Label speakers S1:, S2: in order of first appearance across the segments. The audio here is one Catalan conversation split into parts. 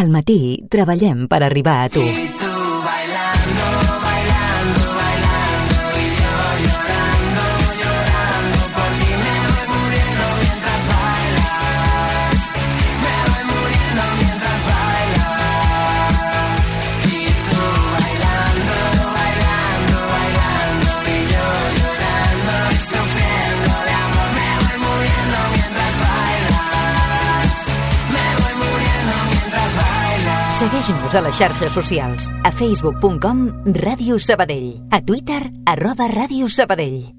S1: Al matí treballem per arribar a tu. Segueix-nos a les xarxes socials, a facebook.com Ràdio Sabadell, a Twitter @Ràdio Sabadell.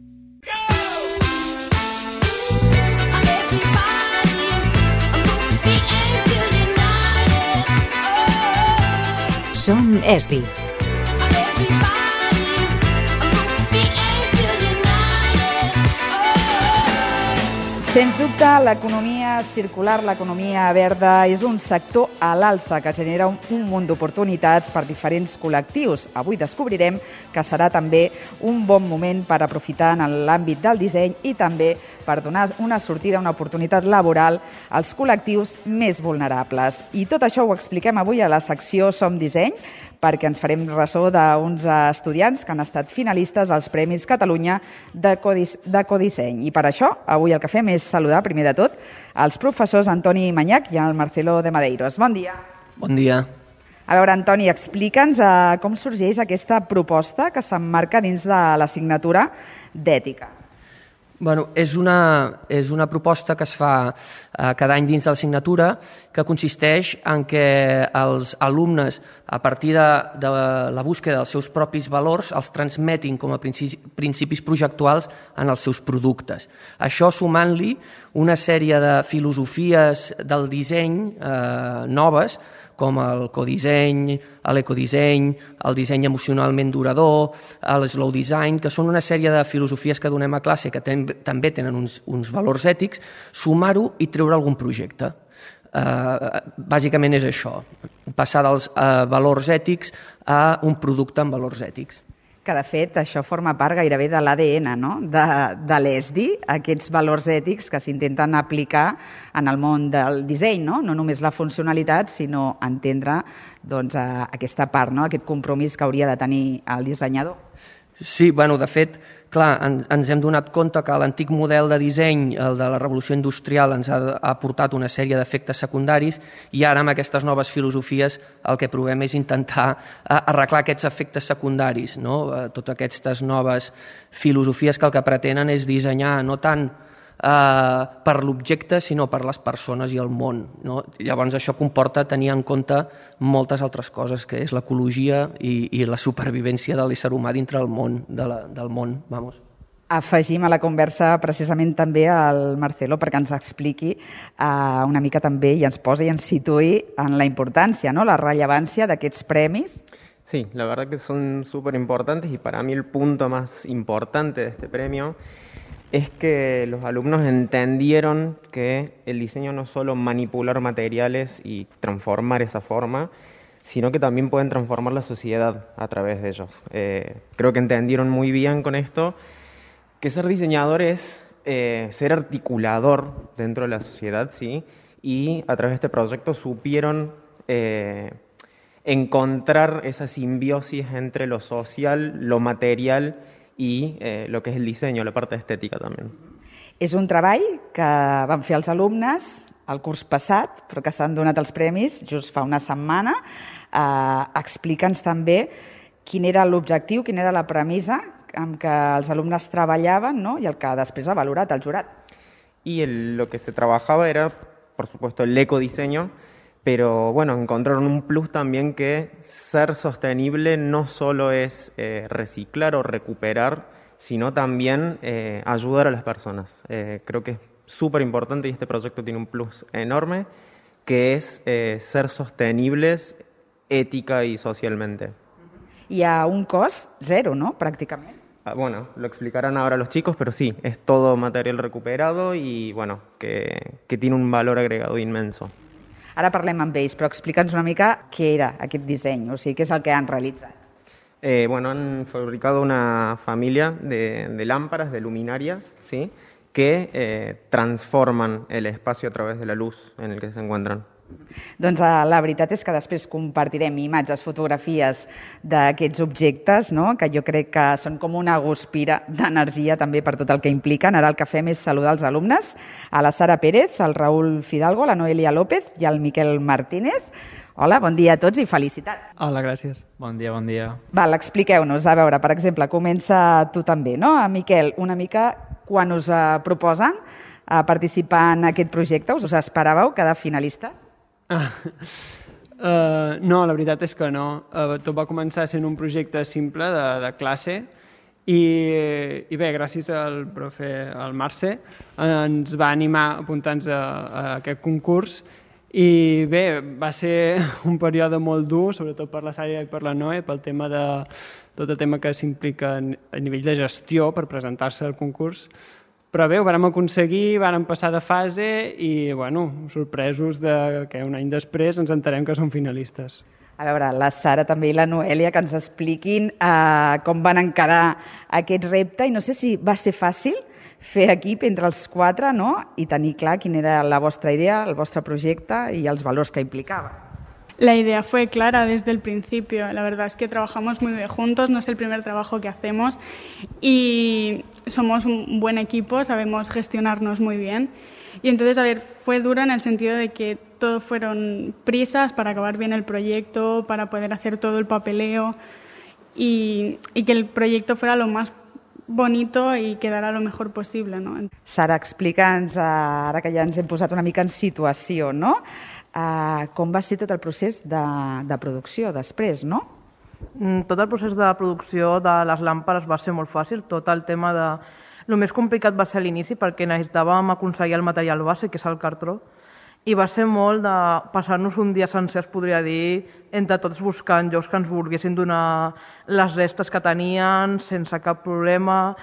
S1: Som ESDI.
S2: Sens dubte, l'economia circular, l'economia verda, és un sector a l'alça que genera un munt d'oportunitats per diferents col·lectius. Avui descobrirem que serà també un bon moment per aprofitar en l'àmbit del disseny i també per donar una sortida, una oportunitat laboral als col·lectius més vulnerables. I tot això ho expliquem avui a la secció Som Disseny, perquè ens farem ressò d'uns estudiants que han estat finalistes als Premis Catalunya de Codisseny. I per això, avui el que fem és saludar, primer de tot, els professors Antoni Manyac i el Marcelo de Madeiros. Bon dia.
S3: Bon dia.
S2: A veure, Antoni, explica'ns com sorgeix aquesta proposta que s'emmarca dins de l'assignatura d'Ètica.
S3: Bueno, és una proposta que es fa cada any dins de l'assignatura, que consisteix en que els alumnes, a partir de la búsqueda dels seus propis valors, els transmetin com a principis projectuals en els seus productes. Això sumant-li una sèrie de filosofies del disseny noves, com el codisseny, l'ecodisseny, el disseny emocionalment durador, el slow design, que són una sèrie de filosofies que donem a classe que també tenen uns valors ètics, sumar-ho i treure algun projecte. Bàsicament és això, passar dels valors ètics a un producte amb valors ètics.
S2: Que, de fet, això forma part gairebé de l'ADN, no?, de l'ESDI, aquests valors ètics que s'intenten aplicar en el món del disseny, no només la funcionalitat, sinó entendre aquesta part, aquest compromís que hauria de tenir el dissenyador.
S3: Sí, de fet, clar, ens hem donat compte que l'antic model de disseny, el de la revolució industrial, ens ha portat una sèrie d'efectes secundaris i ara amb aquestes noves filosofies el que provem és intentar arreglar aquests efectes secundaris, no? Totes aquestes noves filosofies que el que pretenen és dissenyar no tant per l'objecte, sinó per les persones i el món, no? Llavors això comporta tenir en compte moltes altres coses, que és l'ecologia i la supervivència de l'ésser humà dintre del món.
S2: Afegim a la conversa precisament també al Marcelo perquè ens expliqui una mica també i ens posi i ens situï en la importància, ¿no?, la rellevància d'aquests premis.
S4: Sí, la verdad que son súper importantes y para mí el punto más importante de este premio es que los alumnos entendieron que el diseño no es solo manipular materiales y transformar esa forma, sino que también pueden transformar la sociedad a través de ellos. Creo que entendieron muy bien con esto que ser diseñador es ser articulador dentro de la sociedad, ¿sí? Y a través de este proyecto supieron encontrar esa simbiosis entre lo social, lo material i lo que és el disseny, la part estètica també.
S2: És un treball que van fer els alumnes el curs passat, però que s'han donat els premis just fa una setmana. Explica'ns també quin era l'objectiu, quina era la premissa amb què els alumnes treballaven, ¿no?, i el que després ha valorat el jurat.
S4: Y lo que se trabajaba era, por supuesto, el ecodiseño, pero bueno, encontraron un plus también que ser sostenible no solo es reciclar o recuperar, sino también ayudar a las personas. Creo que es súper importante y este proyecto tiene un plus enorme, que es ser sostenibles ética y socialmente.
S2: Y a un cost cero, ¿no?, prácticamente.
S4: Bueno, lo explicarán ahora los chicos, pero sí, es todo material recuperado y bueno, que tiene un valor agregado inmenso.
S2: Ara parlem amb ells, però explica'ns una mica què era aquest disseny, o sigui, què és el que han realitzat.
S4: Bueno, han fabricado una familia de lámparas, de luminarias, ¿sí?, que transforman el espacio a través de la luz en el que se encuentran.
S2: Doncs la veritat és que després compartirem imatges, fotografies d'aquests objectes, no? Que jo crec que són com una guspira d'energia també per tot el que impliquen. Ara el que fem és saludar els alumnes, a la Sara Pérez, al Raül Fidalgo, la Noelia López i al Miquel Martínez. Hola, bon dia a tots i felicitats.
S5: Hola, gràcies. Bon dia, bon dia.
S2: Val, expliqueu-nos. A veure, per exemple, comença tu també, no? Miquel, una mica quan us proposen participar en aquest projecte, us esperàveu quedar finalistes?
S5: No, la veritat és que no. Tot va començar sent un projecte simple de classe i bé, gràcies al profe, al Mercè, ens va animar a apuntar-nos a aquest concurs i bé, va ser un període molt dur, sobretot per la Sària i per la Noe, pel tema de tot el tema que s'implica a nivell de gestió per presentar-se al concurs. Però bé, ho vàrem aconseguir, vàrem passar de fase i, bueno, sorpresos que un any després ens enterem que som finalistes.
S2: A veure, la Sara també i la Noelia, que ens expliquin com van encarar aquest repte i no sé si va ser fàcil fer equip entre els quatre, no? I tenir clar quina era la vostra idea, el vostre projecte i els valors que implicava.
S6: La idea fue clara desde el principio. La verdad es que trabajamos muy bien juntos, no es el primer trabajo que hacemos y somos un buen equipo, sabemos gestionarnos muy bien. Y entonces, a ver, fue duro en el sentido de que todo fueron prisas para acabar bien el proyecto, para poder hacer todo el papeleo y que el proyecto fuera lo más bonito i quedarà lo mejor possible, no?
S2: Sara, explica'ns, ara que ja ens hem posat una mica en situació, no? Com va ser tot el procés de producció després, no?
S7: Tot el procés de producció de les làmperes va ser molt fàcil. Tot el tema de... El més complicat va ser a l'inici perquè necessitàvem aconseguir el material base, que és el cartró, i va ser molt de passar-nos un dia sencer, es podria dir, entre tots buscant llocs que ens volguessin donar les restes que tenien sense cap problema,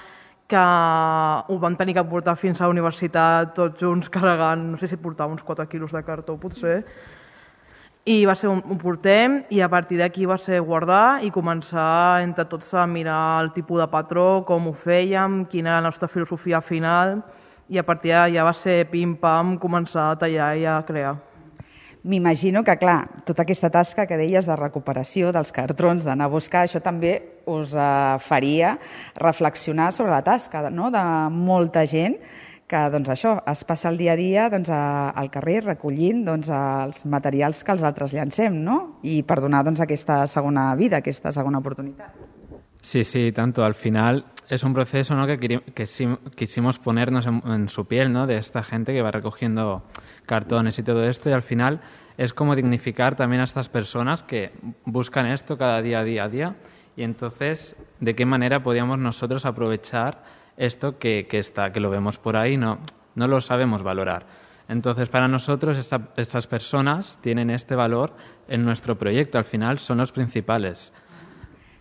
S7: que ho vam tenir que portar fins a la universitat tots junts carregant, no sé si portava uns 4 quilos de cartó potser, i va ser ho portem i a partir d'aquí va ser guardar i començar entre tots a mirar el tipus de patró, com ho fèiem, quina era la nostra filosofia final i a partir d'allà va ser pim-pam començar a tallar i a crear.
S2: M'imagino que, clar, tota aquesta tasca que deies de recuperació dels cartrons, d'anar a buscar, això també us faria reflexionar sobre la tasca, no?, de molta gent que, doncs això, es passa el dia a dia doncs, al carrer recollint doncs, els materials que els altres llancem, no?, i per donar doncs, aquesta segona vida, aquesta segona oportunitat.
S5: Sí, tanto. Al final es un proceso, ¿no?, que quisimos ponernos en su piel, ¿no?, de esta gente que va recogiendo cartones y todo esto, y al final es como dignificar también a estas personas que buscan esto cada día, y entonces, ¿de qué manera podíamos nosotros aprovechar esto que lo vemos por ahí, no lo sabemos valorar? Entonces, para nosotros, estas personas tienen este valor en nuestro proyecto, al final son los principales.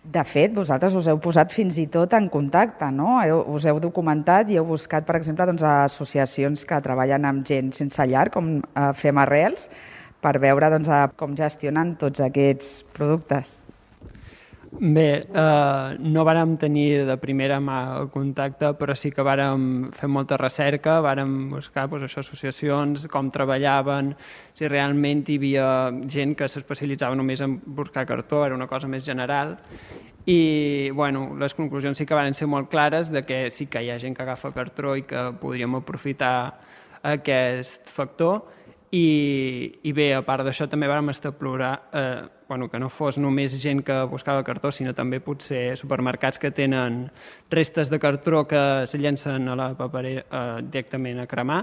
S2: De fet, vosaltres us heu posat fins i tot en contacte, no? Us heu documentat i heu buscat, per exemple, doncs, associacions que treballen amb gent sense llar, com Fem Arrels, per veure doncs, com gestionen tots aquests productes.
S5: Bé, no vàrem tenir de primera mà el contacte, però sí que vàrem fer molta recerca, vàrem buscar associacions, com treballaven, si realment hi havia gent que s'especialitzava només en buscar cartó, era una cosa més general, i bueno, les conclusions sí que van ser molt clares de que sí que hi ha gent que agafa cartró i que podríem aprofitar aquest factor, i bé, a part d'això també vam explorar que no fos només gent que buscava cartó, sinó també potser supermercats que tenen restes de cartró que se llencen a la paperera directament a cremar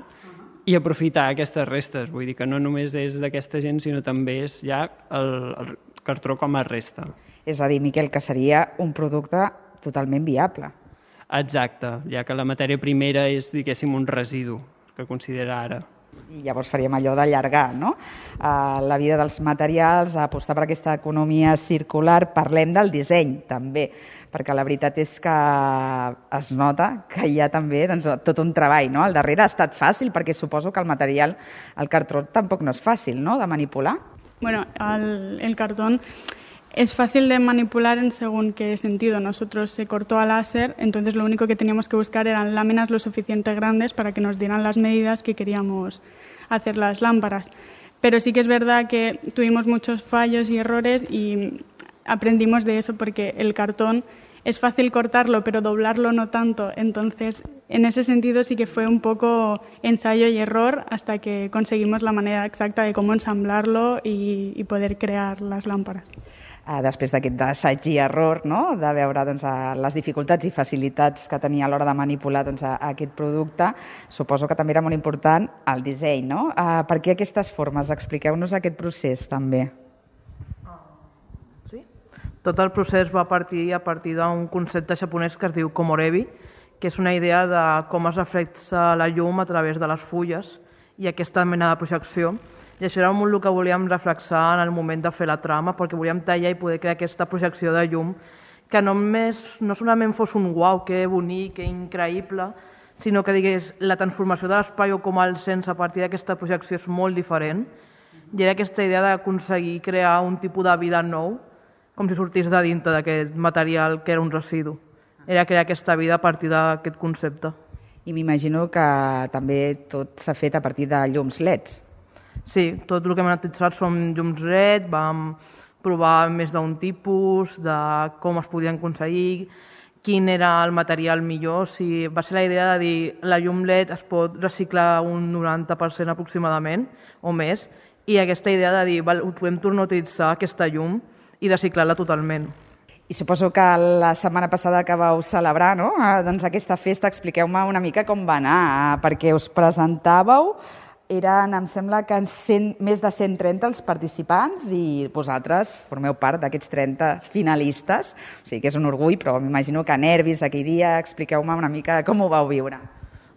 S5: i aprofitar aquestes restes. Vull dir que no només és d'aquesta gent, sinó també és ja el cartró com a resta.
S2: És a dir, Miquel, que seria un producte totalment viable.
S5: Exacte, ja que la matèria primera és, diguéssim, un residu que considera ara.
S2: I llavors faríem allò d'allargar, no? La vida dels materials, apostar per aquesta economia circular. Parlem del disseny, també, perquè la veritat és que es nota que hi ha també doncs, tot un treball, no? Al darrere ha estat fàcil, perquè suposo que el material, el cartró, tampoc no és fàcil, no?, de manipular.
S6: Bueno, el cartón es fácil de manipular en según qué sentido. Nosotros se cortó a láser, entonces lo único que teníamos que buscar eran láminas lo suficiente grandes para que nos dieran las medidas que queríamos hacer las lámparas. Pero sí que es verdad que tuvimos muchos fallos y errores y aprendimos de eso porque el cartón es fácil cortarlo, pero doblarlo no tanto. Entonces, en ese sentido sí que fue un poco ensayo y error hasta que conseguimos la manera exacta de cómo ensamblarlo y poder crear las lámparas.
S2: Després d'aquest assaig i error, no? De veure les dificultats i facilitats que tenia a l'hora de manipular aquest producte, suposo que també era molt important el disseny, no? Per què aquestes formes? Expliqueu-nos aquest procés també.
S7: Sí? Tot el procés va partir a partir d'un concepte japonès que es diu komorebi, que és una idea de com es reflexa la llum a través de les fulles i aquesta mena de projecció. I això era molt el que volíem reflexar en el moment de fer la trama, perquè volíem tallar i poder crear aquesta projecció de llum que no solament fos un uau, que bonic, que increïble, sinó que digués la transformació de l'espai o com el sents a partir d'aquesta projecció és molt diferent. I era aquesta idea d'aconseguir crear un tipus de vida nou, com si sortís de dintre d'aquest material que era un residu. Era crear aquesta vida a partir d'aquest concepte.
S2: I m'imagino que també tot s'ha fet a partir de llums LEDs.
S7: Sí, tot el que hem utilitzat són llums LED, vam provar més d'un tipus, de com es podien aconseguir, quin era el material millor. Va ser la idea de dir la llum LED es pot reciclar un 90% aproximadament o més, i aquesta idea de dir podem tornar a utilitzar aquesta llum i reciclar-la totalment.
S2: I suposo que la setmana passada que vau celebrar, no? Aquesta festa, expliqueu-me una mica com va anar, perquè us presentàveu. Eren, em sembla que més de 130 els participants i vosaltres formeu part d'aquests 30 finalistes. O sigui que és un orgull, però m'imagino que nervis aquell dia. Expliqueu-me una mica com ho vau viure.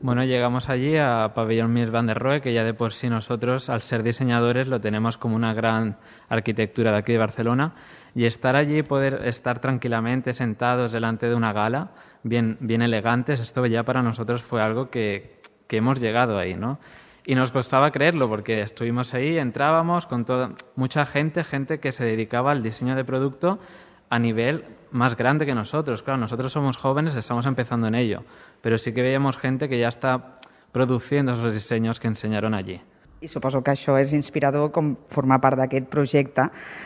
S8: Bueno, llegamos allí a Pabellón Mies van der Rohe, que ya de por sí nosotros, al ser diseñadores, lo tenemos como una gran arquitectura de aquí de Barcelona. Y estar allí, poder estar tranquilamente sentados delante de una gala, bien elegantes, esto ya para nosotros fue algo que hemos llegado ahí, ¿no? Y nos costaba creerlo porque estuvimos ahí, entrábamos con mucha gente que se dedicaba al diseño de producto a nivel más grande que nosotros. Claro, nosotros somos jóvenes, estamos empezando en ello, pero sí que veíamos gente que ya está produciendo esos diseños que enseñaron allí.
S2: I suposo que això és inspirador com formar part d'aquest projecte,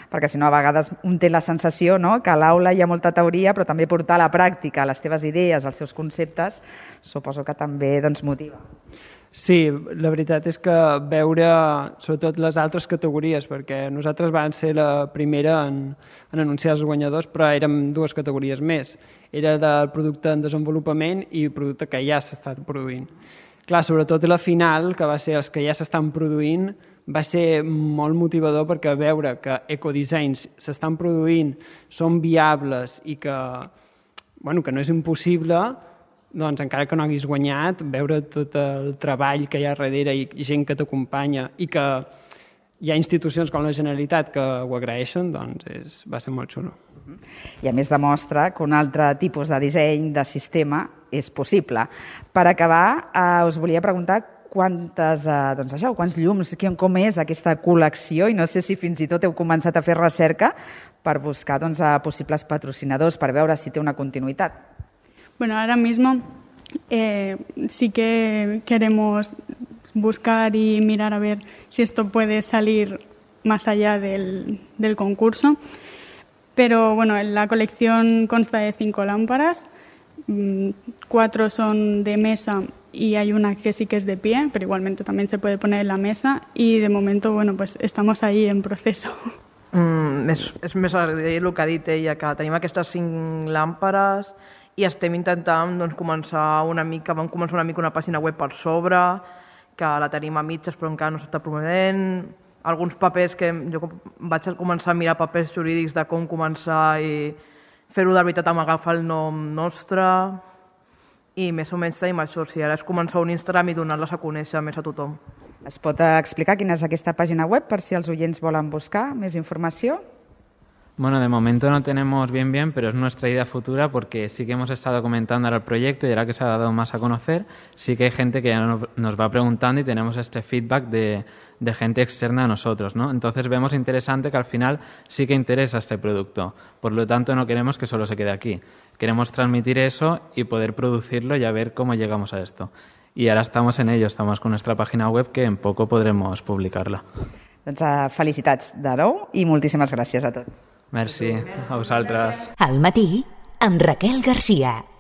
S2: perquè si no a vegades un té la sensació, no?, que a l'aula hi ha molta teoria, però també portar a la pràctica les teves idees, els teus conceptes, suposo que també motiva.
S5: Sí, la veritat és que veure sobretot les altres categories, perquè nosaltres vam ser la primera en anunciar els guanyadors, però érem dues categories més. Era del producte en desenvolupament i producte que ja s'està produint. Clar, sobretot la final, que va ser els que ja s'estan produint, va ser molt motivador perquè veure que ecodissenys s'estan produint, són viables i que no és impossible, doncs encara que no haguis guanyat, veure tot el treball que hi ha darrere i gent que t'acompanya i que hi ha institucions com la Generalitat que ho agraeixen, doncs va ser molt xulo.
S2: I a més demostra que un altre tipus de disseny, de sistema, és possible. Per acabar, us volia preguntar quants llums, com és aquesta col·lecció, i no sé si fins i tot heu començat a fer recerca per buscar possibles patrocinadors, per veure si té una continuïtat.
S6: Bueno, ahora mismo sí que queremos buscar y mirar a ver si esto puede salir más allá del concurso. Pero bueno, la colección consta de 5 lámparas, 4 son de mesa y hay una que sí que es de pie, pero igualmente también se puede poner en la mesa y de momento, pues estamos ahí en proceso.
S7: És més el que ha dit ella, que tenim aquestes 5 làmpares i estem intentant començar una mica una pàgina web per sobre, que la tenim a mitges però encara no s'està promovent, alguns papers que jo vaig començar a mirar papers jurídics de com començar i fer-ho de veritat amb agafar el nom nostre i més o menys tenim això, ara és començar un Instagram i donar-les a conèixer més a tothom.
S2: Es pot explicar quina és aquesta pàgina web per si els oients volen buscar més informació?
S8: Bueno, de momento no tenemos bien, pero es nuestra idea futura porque sí que hemos estado comentando ahora el proyecto y ahora que se ha dado más a conocer, sí que hay gente que ya nos va preguntando y tenemos este feedback de gente externa a nosotros, ¿no? Entonces vemos interesante que al final sí que interesa este producto. Por lo tanto, no queremos que solo se quede aquí. Queremos transmitir eso y poder producirlo y a ver cómo llegamos a esto. Y ahora estamos en ello, estamos con nuestra página web que en poco podremos publicarla.
S2: Doncs felicitats de nou i moltíssimes gràcies a tots.
S8: Merci, a vosaltres.
S1: Al matí, amb Raquel Garcia.